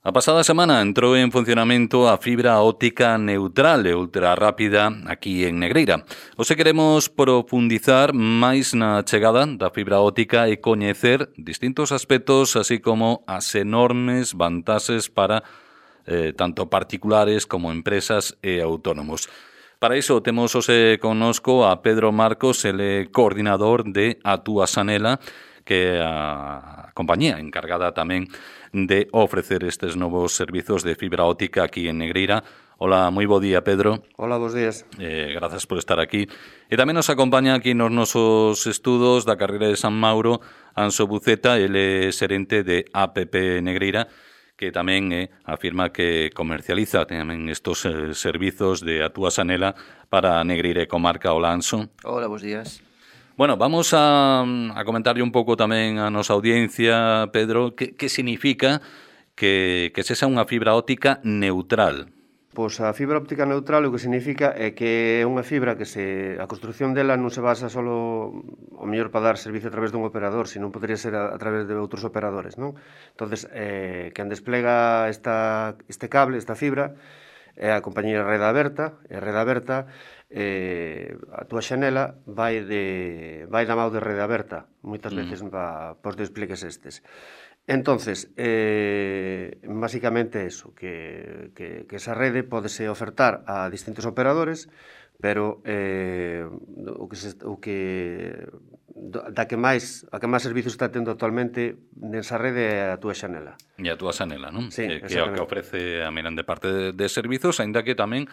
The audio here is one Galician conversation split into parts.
A pasada semana entrou en funcionamento a fibra óptica neutral e ultra rápida aquí en Negreira. Hoxe queremos profundizar máis na chegada da fibra óptica e coñecer distintos aspectos, así como as enormes vantaxes para tanto particulares como empresas e autónomos. Para iso temos hoxe connosco a Pedro Marcos, ele coordinador de Atuasanela, que é a compañía encargada tamén de ofrecer estes novos servizos de fibra óptica aquí en Negreira. Hola, moi bo día, Pedro. Hola, bos días. Grazas por estar aquí. E tamén nos acompaña aquí nos nosos estudos da carreira de San Mauro Anxo Buceta, ele é xerente de APP Negreira, que tamén afirma que comercializa tamén estos servizos de Atuasanela para Negreira e comarca. Hola, Anxo. Hola, bos días. Bueno, vamos a comentarle un pouco tamén a nosa audiencia, Pedro, que significa que sexa unha fibra óptica neutral. Pois a fibra óptica neutral o que significa é que é unha fibra que a construción dela non se basa só ao mellor para dar servicio a través dun operador, senón podría ser a través de outros operadores, non? Entonces, quen desplega este cable, esta fibra, é a compañía Rede Aberta, e a Rede Aberta Atuasanela vai da mão de Rede Aberta, moitas veces para os despliegues estes. Entonces, basicamente eso, que esa rede podese ofertar a distintos operadores, pero a que máis servicios está tendo actualmente nesa rede é a Atuasanela. E a Atuasanela, non? Sí, que é o que ofrece a grande parte de servizos, aínda que tamén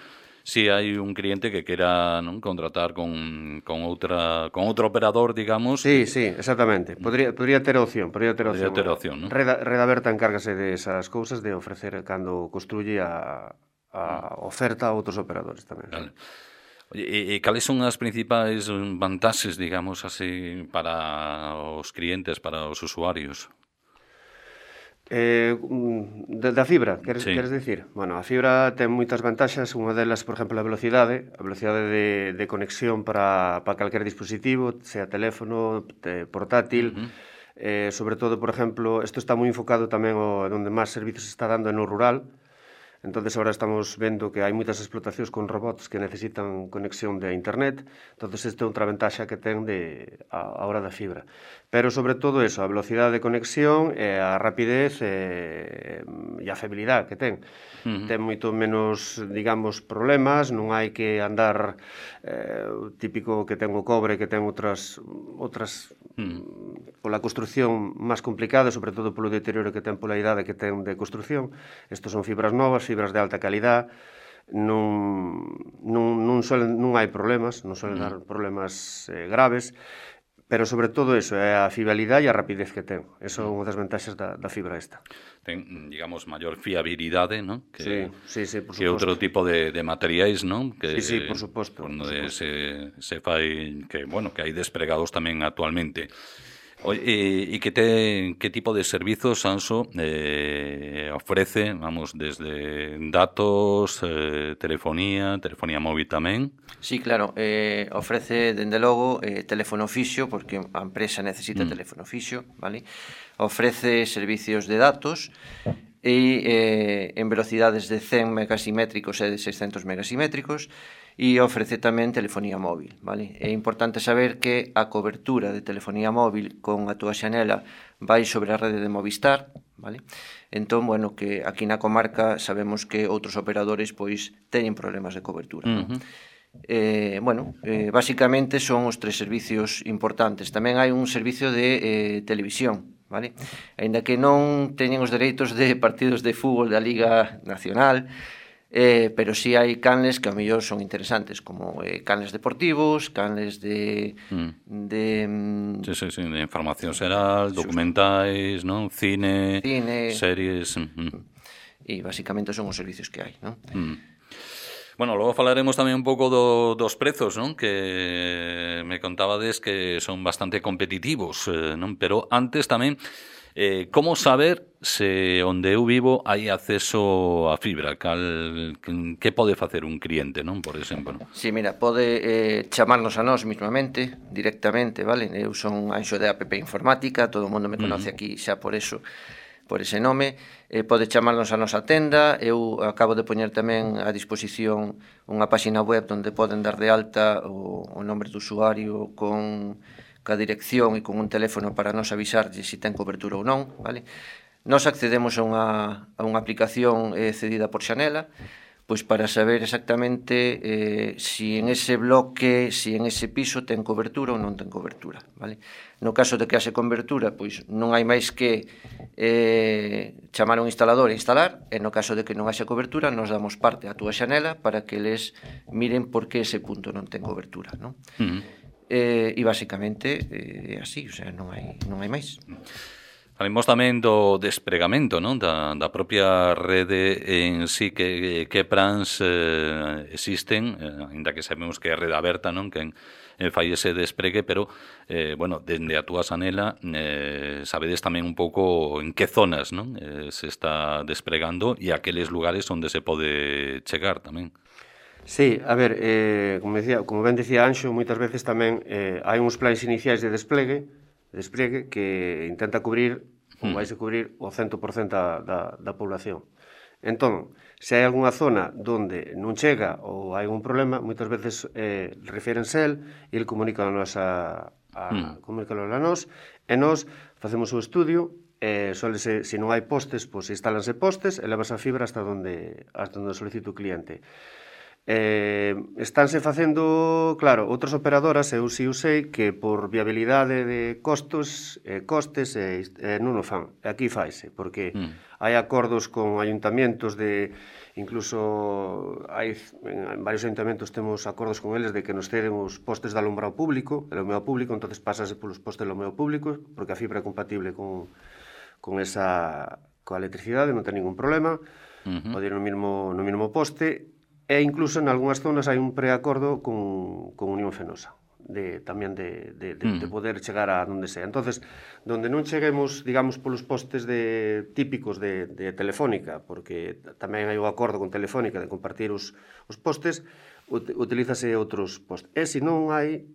si hai un cliente que quera contratar con outro operador, digamos. Sí, exactamente. Podría ter opción. Podría ter opción, non? Rede Aberta encárgase de esas cousas, de ofrecer cando construye a oferta a outros operadores tamén. Vale. E cales son as principais vantaxes, digamos así, para os clientes, para os usuarios? Da fibra, queres dicir? Bueno, a fibra ten moitas vantaxes, unha delas, por exemplo, a velocidade de conexión para calquer dispositivo, sea teléfono, portátil, sobre todo, por exemplo, isto está moi enfocado tamén onde máis servizos se está dando no rural. Entonces, ahora estamos vendo que hai moitas explotacións con robots que necesitan conexión de internet. Entonces, esta é outra ventaxa que ten a hora da fibra. Pero, sobre todo, a velocidade de conexión, a rapidez e a fiabilidade que ten. Ten moito menos, digamos, problemas, non hai que andar típico que ten o cobre, que ten outras pola construción máis complicada, sobre todo polo deterioro que ten pola idade que ten de construción. Estos son fibras novas, fibras de alta calidad, non hai problemas, non suelen dar problemas graves, pero sobre todo é a fiabilidade e a rapidez que ten. Eso é unha das vantaxes da fibra esta. Ten, digamos, maior fiabilidade, non? Sí, por suposto. Que outro tipo de materiais, non? Sí, por suposto. Onde se fai, que hai despregados tamén actualmente. E que tipo de servizos, Anxo, ofrece, desde datos, telefonía móvil tamén? Sí, claro, ofrece, dende logo, teléfono fixo, porque a empresa necesita teléfono fixo, vale? Ofrece servicios de datos e en velocidades de 100 megasimétricos e de 600 megasimétricos, e ofrece tamén telefonía móvil, vale? É importante saber que a cobertura de telefonía móvil con Atuasanela vai sobre a rede de Movistar, vale? Entón, que aquí na comarca sabemos que outros operadores pois teñen problemas de cobertura, non? Basicamente son os tres servicios importantes. Tamén hai un servicio de televisión, vale? Aínda que non teñen os dereitos de partidos de fútbol da Liga Nacional, pero sí hai canles que ao mellor son interesantes, como canles deportivos, canles de información xeral, documentais, non? Cine, series. E basicamente son os servicios que hai, non? Bueno, logo falaremos tamén un pouco dos prezos, non? Que me contabades que son bastante competitivos, non? Pero antes tamén, como saber se onde eu vivo hai acceso a fibra? Que pode facer un cliente, non? Por exemplo. Sí, mira, pode chamarnos a nós mismamente, directamente, vale? Eu son Anxo de APP Informática, todo o mundo me conoce aquí xa por eso. por ese nome, pode chamarnos a nosa tenda. Eu acabo de poñer tamén a disposición unha páxina web onde poden dar de alta o nombre do usuario con a dirección e con un teléfono para nos avisarlle se ten cobertura ou non, vale? Nos accedemos a unha aplicación cedida por Xanela, pois para saber exactamente si en ese bloque, si en ese piso ten cobertura ou non ten cobertura, vale? No caso de que haxe cobertura, pois non hai máis que chamar a un instalador e instalar, e no caso de que non haxe cobertura, nos damos parte á túa Xanela para que eles miren por que ese punto non ten cobertura, non? E basicamente é así, o sea, non hai máis. Falemos tamén do despregamento, non? Da propia rede en sí, que plans existen, ainda que sabemos que é rede aberta, non? Que fai ese despregue, pero, bueno, dende a túa Xanela sabedes tamén un pouco en que zonas, non? Se está despregando e aqueles lugares onde se pode chegar tamén. Sí, a ver, como ben dicía Anxo, moitas veces tamén hai uns plans iniciais de despregue que intenta cubrir ou vaise cubrir o 100% da población. Entón, se hai algunha zona onde non chega ou hai algún problema, moitas veces reférense el e ele comunica a nos e nos facemos o estudio. Se non hai postes, pois instálanse postes e levas a fibra hasta onde solicita o cliente. Estánse facendo, claro, outras operadoras, eu si sei que por viabilidade de costes non o fan. Aquí faise, porque hai acordos con ayuntamentos incluso en varios ayuntamentos temos acordos con eles de que nos ceden os postes de alumbrado público, entonces pásase polos postes de alumbrado público, porque a fibra é compatible con coa electricidade, non ten ningún problema, pode ir no mesmo poste. E incluso en algunhas zonas hai un preacordo con Unión Fenosa, tamén de poder chegar a donde sea. Entonces, donde non cheguemos, digamos, polos postes típicos de Telefónica, porque tamén hai o acordo con Telefónica de compartir os postes, utilízase outros postes. E se non hai,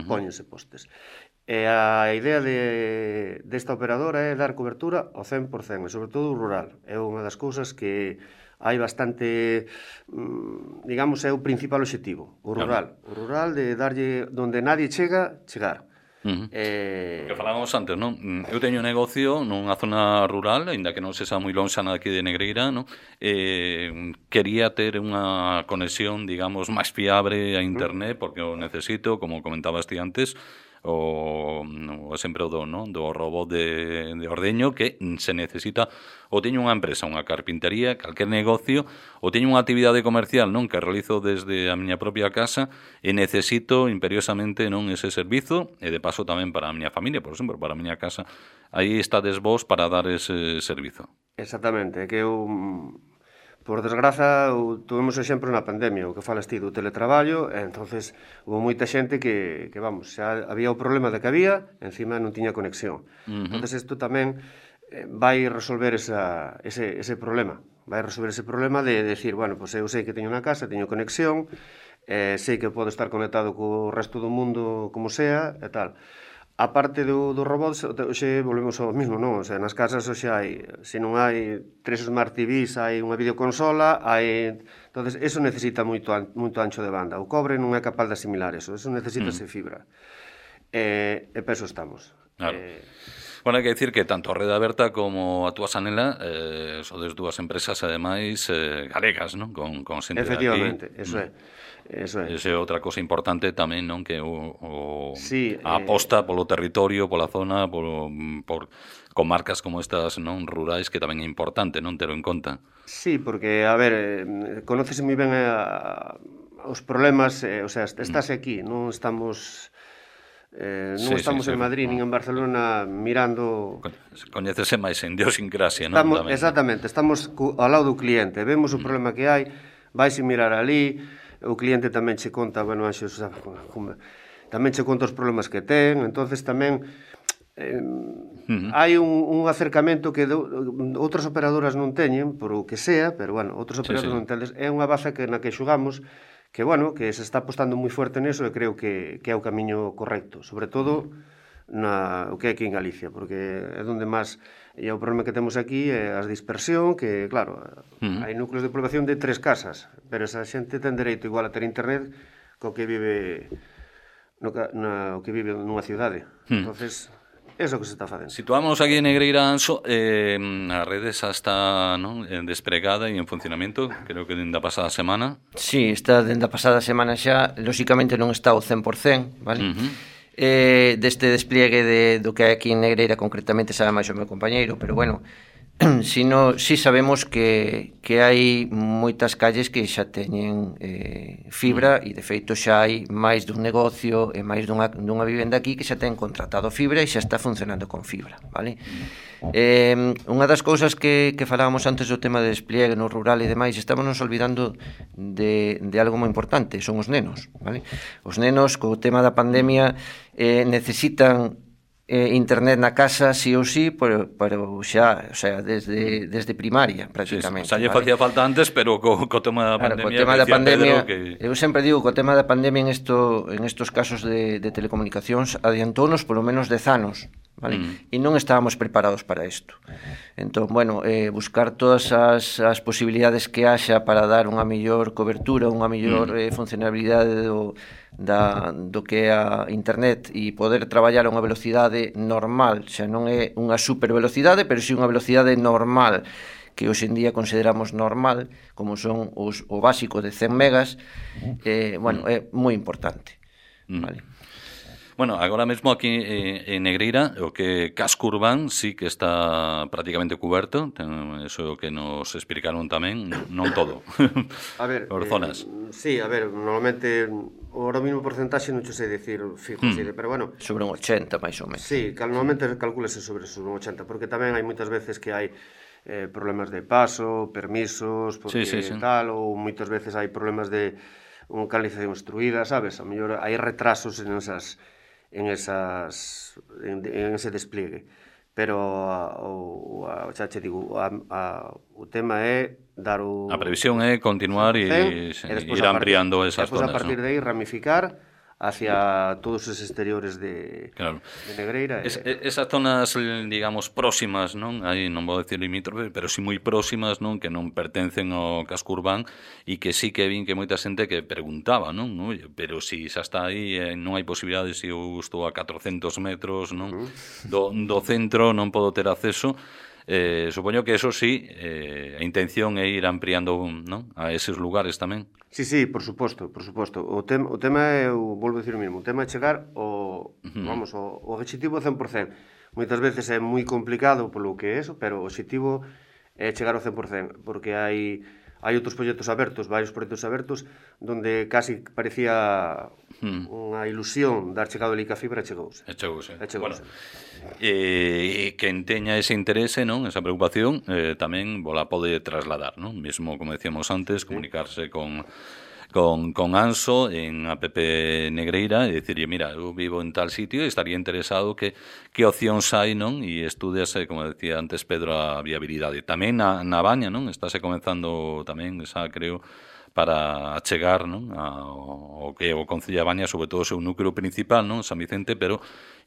póñense postes. E a idea desta operadora é dar cobertura ao 100%, e sobre todo o rural. É unha das cousas que hai bastante, digamos, é o principal obxectivo, o rural. O rural de darlle onde nadie chegar. Que falábamos antes, non? Eu teño un negocio nunha zona rural, aínda que non se xa moi lonxana aquí de Negreira, non? Quería ter unha conexión, digamos, máis fiable a internet, porque o necesito, como comentabas ti antes, o exemplo do robot de ordeño, que se necesita, ou teño unha empresa, unha carpintería, calquer negocio, ou teño unha actividade comercial, non, que realizo desde a miña propia casa, e necesito imperiosamente, non, ese servizo, e de paso tamén para a miña familia, por exemplo, para a miña casa. Aí estades vos para dar ese servizo. Exactamente, que eu, por desgraza, tuvemos exemplo na pandemia, o que falas ti do teletraballo, e entonces hubo moita xente que vamos, xa había o problema de que había, encima non tiña conexión. Entonces isto tamén vai resolver ese problema, de decir, bueno, pues eu sei que teño unha casa, teño conexión, sei que podo estar conectado co resto do mundo como sea, e tal. A parte do robot, hoxe volvemos ao mismo, non? O sea, nas casas hoxe hai, se non hai 3 Smart TVs, hai unha videoconsola, entonces, eso necesita moito ancho de banda. O cobre non é capaz de asimilar eso necesitase fibra. E peso estamos. Claro. Bueno, hai que dicir que tanto a Rede Aberta como a túa Xanela sodes dúas empresas, ademais, galegas, non? Con xente de aquí. Efectivamente, eso é. Esa é outra cousa importante tamén, non? Que a aposta polo territorio, pola zona, con marcas como estas, non, rurais, que tamén é importante, non, tero en conta. Sí, porque, a ver, conócese moi ben os problemas, o sea, estás aquí, non estamos en Madrid nin en Barcelona mirando... Coñécese máis en idiosincrasia, non? Exactamente, estamos ao lado do cliente, vemos o problema que hai, vaise mirar ali, o cliente tamén che conta, bueno, Anxo, tamén che conta os problemas que ten, entonces tamén hai un acercamento que outras operadoras non teñen, por o que sea, pero, bueno, outros operadores non teñen. É unha baza na que xogamos, que, bueno, que se está apostando moi fuerte neso e creo que é o camiño correcto. Sobre todo, o que é aquí en Galicia, porque é onde máis... E o problema que temos aquí é a dispersión, que, claro, hai núcleos de población de 3 casas, pero esa xente ten dereito igual a ter internet co que vive o que vive nunha cidade. Entonces, é o que se está facendo. Situámonos aquí en Negreira, Anso, a rede xa está, non, despregada e en funcionamento, creo que dende a pasada semana. Sí, está dende a pasada semana xa, lóxicamente non está ao 100%, vale? Deste despliegue do que hai aquí en Negreira, concretamente sabe máis o meu compañeiro, pero bueno, si sabemos que hai moitas calles que xa teñen fibra e de feito xa hai máis dun negocio e máis dunha vivenda aquí que xa ten contratado fibra e xa está funcionando con fibra, vale? Unha das cousas que falábamos antes do tema de despliegue no rural e demais, estamos nos olvidando de algo moi importante, son os nenos, vale? Os nenos co tema da pandemia necesitan internet na casa sí ou sí, pero xa, o sea, desde primaria prácticamente. Xa lle facía falta antes, pero co tema da pandemia, co tema da pandemia, eu sempre digo que o tema da pandemia en estos casos de telecomunicacións adiantounos polo menos 10 anos, vale? E non estábamos preparados para isto. Entón, bueno, buscar todas as posibilidades que haxa para dar unha mellor cobertura, unha mellor funcionabilidade do que é a internet e poder traballar a unha velocidade normal, xa non é unha super velocidade, pero si unha velocidade normal que hoxe en día consideramos normal, como son o básico de 100 megas, bueno, é moi importante, vale? Bueno, agora mesmo aquí en Negreira, o que casco urbán sí que está prácticamente cuberto, eso é o que nos explicaron tamén, non todo. A ver, por zonas. Sí, a ver, normalmente ahora mismo porcentaxe non che sei dicir fijo, pero bueno, sobre un 80 máis ou menos. Sí, normalmente calculase sobre un 80, porque tamén hai moitas veces que hai problemas de paso, permisos, porque tal, ou moitas veces hai problemas de unha canalización obstruída, sabes? A mellor hai retrasos en ese despliegue, pero xa che digo, o tema é dar o... A previsión é continuar e ir ampliando esas zonas, a partir de aí ramificar hacia todos os exteriores de Negreira. Esas zonas, digamos, próximas, non? Aí non vou decir limítrofe, pero si moi próximas, non? Que non pertencen ao casco urbán e que sí que vin que moita xente que preguntaba, non? Oye, pero si xa está aí, non hai posibilidade se eu estou a 400 metros, non? Do centro non podo ter acceso. Supoño que eso sí, a intención é ir ampliando, non? A eses lugares tamén. Sí, por suposto. O tema é, volvo a decir o mesmo, o tema é chegar ao objetivo 100%. Moitas veces é moi complicado polo que é eso, pero o objetivo é chegar ao 100%, porque hai outros proxectos abertos, varios proxectos abertos, donde casi parecía unha ilusión dar chegado ali que a fibra chegouse. Bueno, quen teña ese interese, non, esa preocupación, tamén la pode trasladar, non? Mesmo, como decíamos antes, comunicarse con Anso en APP Negreira e dicirlle, mira, eu vivo en tal sitio e estaría interesado que opcións hai, non? E estudiase, como decía antes Pedro, a viabilidade. Tamén na Baña, non? Estáse comenzando tamén, esa creo, para achegar, non? O que é o Concello de Baña, sobre todo o seu núcleo principal, non? San Vicente, pero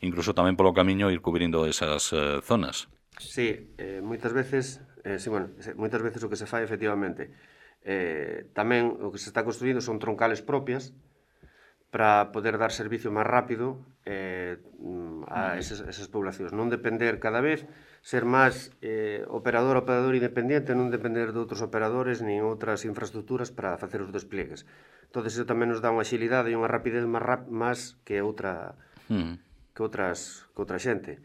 incluso tamén polo camiño ir cubrindo esas zonas. Sí, moitas veces o que se fai efectivamente tamén o que se está construindo son troncales propias para poder dar servicio máis rápido a esas poblacións, non depender cada vez, ser máis operador independiente, non depender de outros operadores nin outras infraestructuras para facer os despliegues. Entón, iso tamén nos dá unha axilidade e unha rapidez máis que outra xente.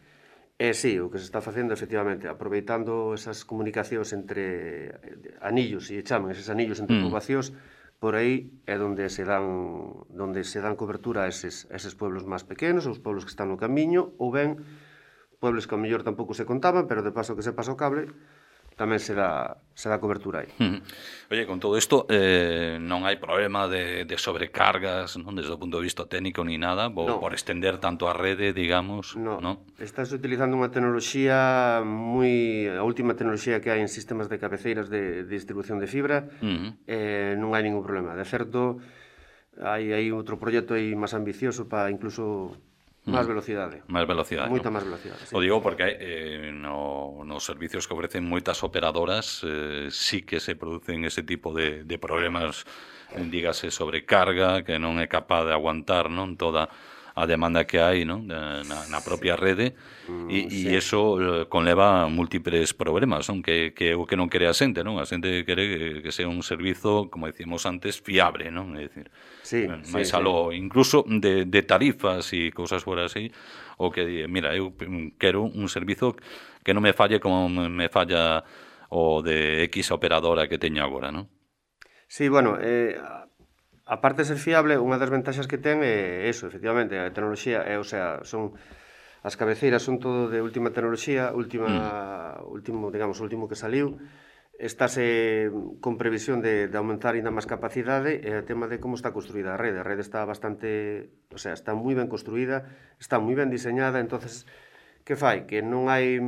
Sí, o que se está facendo, efectivamente, aproveitando esas comunicacións entre anillos, e chaman eses anillos entre poboacións, por aí é onde se dan cobertura a eses pueblos máis pequenos, os pueblos que están no camiño, ou ben pueblos que ao mellor tampouco se contaban, pero de paso que se pasa o cable, tamén se dá cobertura aí. Oye, con todo isto, non hai problema de sobrecargas, non, desde o punto de vista técnico ni nada, por estender tanto a rede, digamos, non? Estás utilizando unha tecnoloxía a última tecnoloxía que hai en sistemas de cabeceiras de distribución de fibra, non hai ningún problema. De certo, hai outro proxecto aí máis ambicioso para incluso máis velocidade. Máis velocidade, Moita non? máis velocidade, sí. O digo porque nos servicios que ofrecen moitas operadoras sí que se producen ese tipo de problemas, dígase, sobrecarga, que non é capaz de aguantar, non, toda a demanda que hai, non, na propia rede, e iso conleva múltiples problemas, non, que o que non quere a xente, non? A xente quere que sea un servizo, como decíamos antes, fiable, non? É dicir, máis aló, incluso de tarifas e cousas fora así, o que di, mira, eu quero un servizo que non me falle como me falla o de X operadora que teño agora, non? Sí, bueno, a parte de ser fiable, unha das ventaxas que ten é eso, efectivamente, a tecnoloxía, o sea, son as cabeceiras son todo de última tecnoloxía, último que saliu. Estáse con previsión de aumentar ainda máis capacidade, e o tema de como está construída a rede. A rede está bastante, o sea, está moi ben construída, está moi ben diseñada, entonces que fai? Que non hai,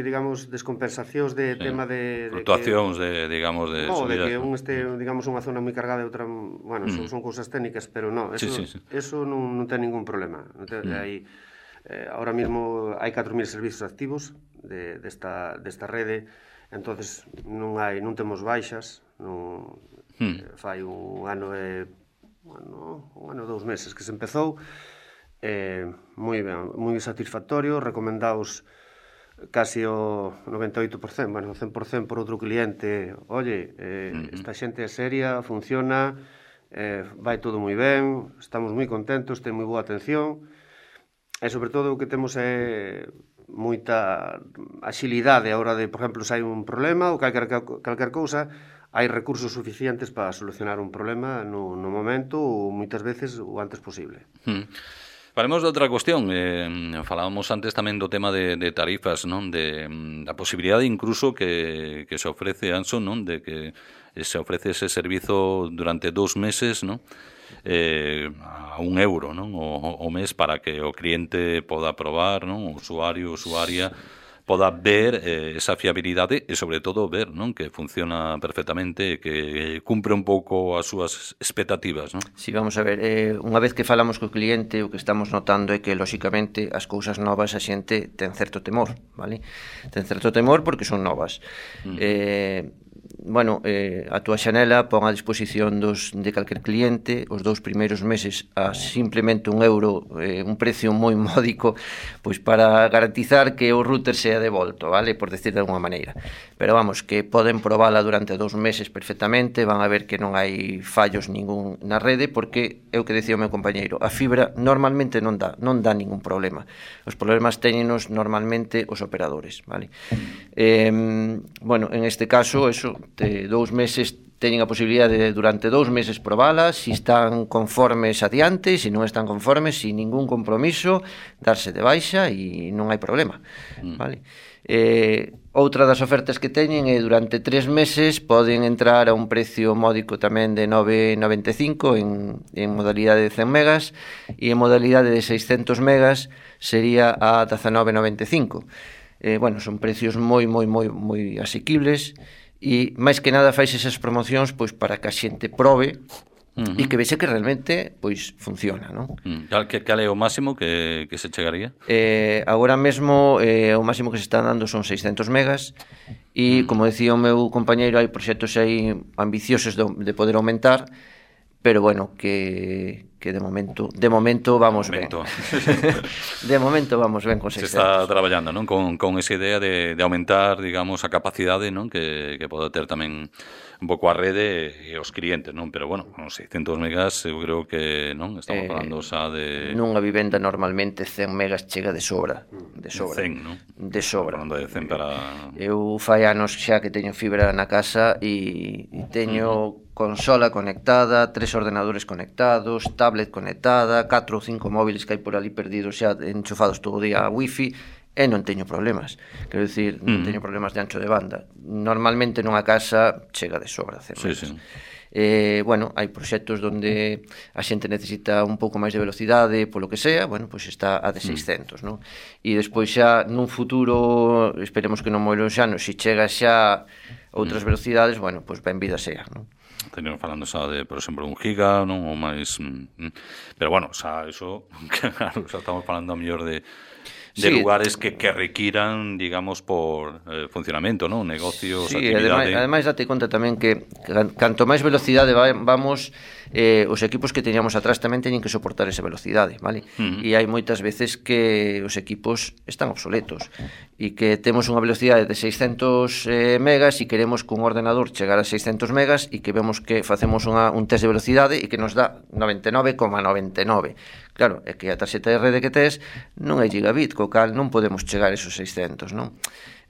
digamos, descompensacións de tema de fluctuacións digamos, de subidas. De que un este, digamos, unha zona moi cargada e outra, bueno, son cousas técnicas, pero non, eso non ten ningún problema. Ahora mismo hai 4.000 servizos activos desta rede, entonces non temos baixas, fai un ano e 2 meses que se empezou, moi ben, moi satisfactorio, recomendaos casi o 98%, bueno, o 100% por outro cliente. Oye, esta xente é seria, funciona, vai todo moi ben, estamos moi contentos, ten moi boa atención, e sobre todo o que temos é moita axilidade a hora de, por exemplo, se hai un problema ou calquer cousa, hai recursos suficientes para solucionar un problema no momento ou moitas veces o antes posible. Falemos de outra cuestión. Falábamos antes tamén do tema de tarifas, non? Da posibilidade incluso que se ofrece, Anxo, non? De que se ofrece ese servizo durante 2 meses, non? A €1, non? O mes, para que o cliente poda probar, non? O usuario, usuaria poda ver esa fiabilidade e, sobre todo, ver, non, que funciona perfectamente e que cumpre un pouco as súas expectativas, non? Si, vamos a ver, unha vez que falamos co cliente, o que estamos notando é que, lóxicamente, as cousas novas a xente ten certo temor, vale? Ten certo temor porque son novas. Bueno, a túa xanela pon a disposición de calquer cliente os 2 primeiros meses a simplemente €1, un precio moi módico, pois para garantizar que o router sea devolto, vale? Por decir de alguma maneira. Pero vamos, que poden probala durante 2 meses perfectamente, van a ver que non hai fallos ningún na rede, porque é o que decía o meu compañeiro, a fibra normalmente non dá ningún problema. Os problemas téñenos normalmente os operadores, vale? Bueno, en este caso, eso, 2 meses teñen a posibilidade de durante 2 meses probalas, se están conformes adiante, se non están conformes, sin ningún compromiso, darse de baixa e non hai problema, vale? Outra das ofertas que teñen é durante 3 meses poden entrar a un precio módico tamén de 9,95 en modalidade de 100 megas e en modalidade de 600 megas sería a 19,95. Bueno, son precios moi asequibles e máis que nada fais esas promocións pois para que a xente probe e que vexe que realmente pois funciona, non? Cal é o máximo que se chegaría? Agora mesmo o máximo que se está dando son 600 megas e, como decía o meu compañeiro, hai proxectos aí ambiciosos de poder aumentar, pero bueno, que de momento vamos ben. De momento vamos ben con 600. Se está traballando, non? Con esa idea de aumentar, digamos, a capacidade, non? Que pode ter tamén un pouco a rede e os clientes, non? Pero bueno, con 600 megas eu creo que, non? Estamos falando xa de... Nunha vivenda normalmente 100 megas chega de sobra. 100, non? De sobra. Falando de 100 para... Eu fai anos xa que teño fibra na casa e teño consola conectada, 3 ordenadores conectados, tablet conectada, 4 ou 5 móviles que hai por ali perdidos xa enchufados todo o día a wifi, e non teño problemas. Quero dicir, non teño problemas de ancho de banda. Normalmente nunha casa chega de sobra. Bueno, hai proxectos onde a xente necesita un pouco máis de velocidade, polo que sea, bueno, pois está a de 600, non? E despois xa nun futuro, esperemos que non moi lonxano, se chega xa Outras velocidades, bueno, pois benvida sea, non? Teníamos falando xa de, por exemplo, 1 giga, non? Ou máis... Pero, bueno, xa eso, claro, xa estamos falando a mellor de lugares que requiran, digamos, por funcionamento, non? Negocios, actividade... Ademais, date conta tamén que canto máis velocidade vamos, os equipos que teníamos atrás tamén teñen que soportar esa velocidade, vale? E hai moitas veces que os equipos están obsoletos e que temos unha velocidade de 600 megas e queremos cun ordenador chegar a 600 megas e que vemos que facemos un test de velocidade e que nos dá 99,99. Claro, é que a tarxeta de rede que tes non é gigabit, co cal non podemos chegar a esos 600, non?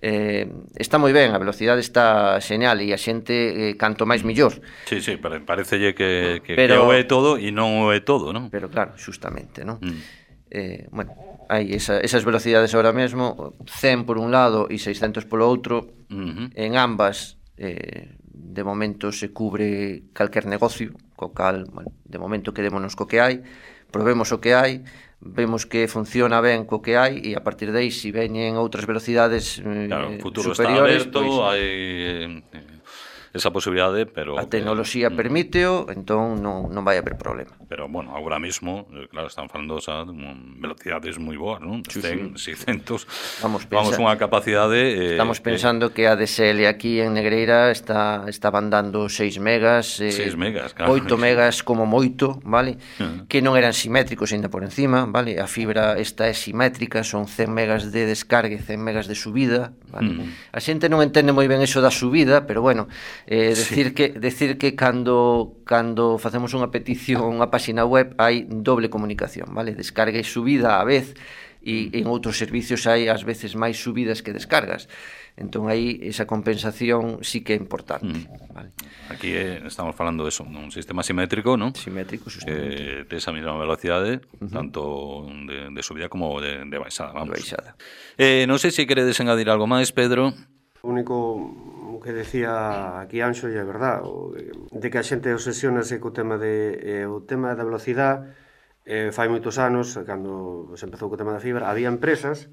Está moi ben, a velocidade está xeñal e a xente canto máis millor. Sí, pero parecelle que o é todo e non o é todo, non? Pero claro, xustamente, non? Bueno, hai esas velocidades ahora mesmo, 100 por un lado e 600 polo outro, en ambas de momento se cubre calquer negocio, co cal, bueno, de momento quedémonos co que hai, probemos o que hai, vemos que funciona ben co que hai e a partir de aí, se veñen outras velocidades claro, o futuro superiores, está aberto, pois, hai esa posibilidade, pero... A tecnoloxía permíteo, entón non vai haber problema. Pero, bueno, agora mesmo, claro, están falando xa de velocidades moi boas, non? 100, 600... Vamos unha capacidade... Estamos pensando que a DSL aquí en Negreira estaban dando 6 megas, 6 megas, claro. 8 megas como moito, vale? Que non eran simétricos ainda por encima, vale? A fibra esta é simétrica, son 100 megas de descarga e 100 megas de subida, vale? A xente non entende moi ben eso da subida, pero bueno... decir que cando facemos unha petición, unha páxina web, hai doble comunicación, vale? Descarga e subida á vez, e en outros servicios hai ás veces máis subidas que descargas. Entón aí esa compensación sí que é importante, vale? Aquí estamos falando de eso, un sistema simétrico, non? Simétrico, justamente. De esa mesma velocidade, tanto de subida como de baixada, vamos. De baixada. Non sei se queredes engadir algo máis, Pedro. O único que decía aquí Anxo, e é verdad, de que a xente obsesionase co tema o tema da velocidade. Fai moitos anos, cando se empezou co tema da fibra, había empresas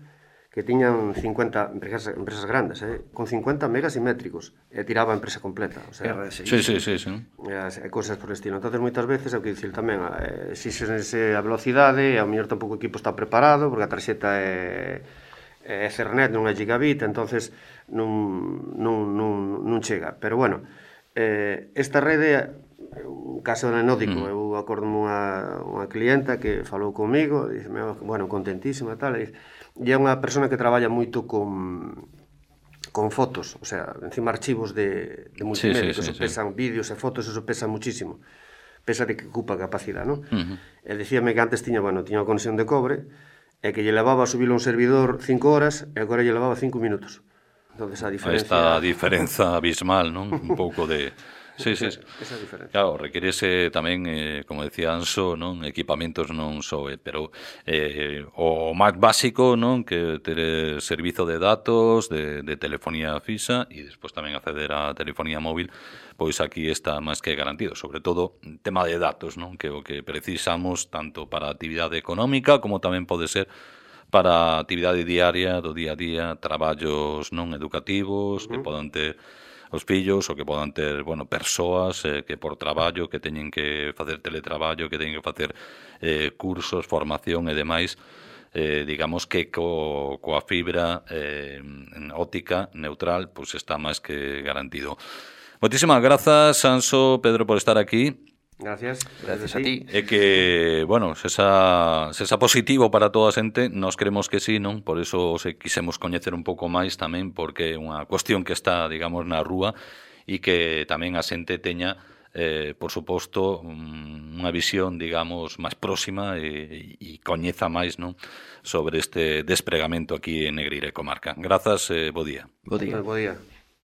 que tiñan 50, empresas grandes, con 50 megas simétricos, e tiraba a empresa completa. O sea, sí. Cousas por estilo. Entón, moitas veces, é o que dicir tamén, exixense a velocidade, e ao mellor tampouco o equipo está preparado, porque a tarxeta é Ethernet, non é gigabit, entonces non chega. Pero bueno, esta rede, un caso anecdótico, eu acordo unha clienta que falou comigo, dixeme, bueno, contentísima e tal, e é unha persona que traballa moito con fotos, o sea, encima archivos de multimedia, que pesan vídeos e fotos, eso pesa muchísimo, pesa de que ocupa capacidade, non? E dicíame que antes tiña unha conexión de cobre, e que lle levaba a subilo a un servidor 5 horas e agora lle levaba 5 minutos. Entonces a diferencia... Esta diferenza abismal, non? Un pouco de... Sí. Esa diferencia. Claro, requerese tamén, como decía Anxo, non, equipamentos non só, pero o máis básico, non, que ter servizo de datos, de telefonía fixa e despois tamén acceder á telefonía móvil, pois aquí está máis que garantido, sobre todo tema de datos, non, que o que precisamos tanto para a actividade económica como tamén pode ser para a actividade diaria, do día a día, traballos non educativos que podan ter os fillos ou que podan ter, bueno, persoas que por traballo, que teñen que facer teletraballo, que teñen que facer cursos, formación e demais, digamos que coa fibra óptica neutral, pois está máis que garantido. Moitísimas grazas, Anxo, Pedro, por estar aquí. Gracias a ti. É que, bueno, se xa positivo para toda a xente, nós queremos que sí, non? Por iso se quisemos coñecer un pouco máis tamén, porque é unha cuestión que está, digamos, na rúa e que tamén a xente teña, por suposto, unha visión, digamos, máis próxima e coñeza máis, non? Sobre este despregamento aquí en Negreira e comarca. Grazas, bo día. Bo día. Bo día.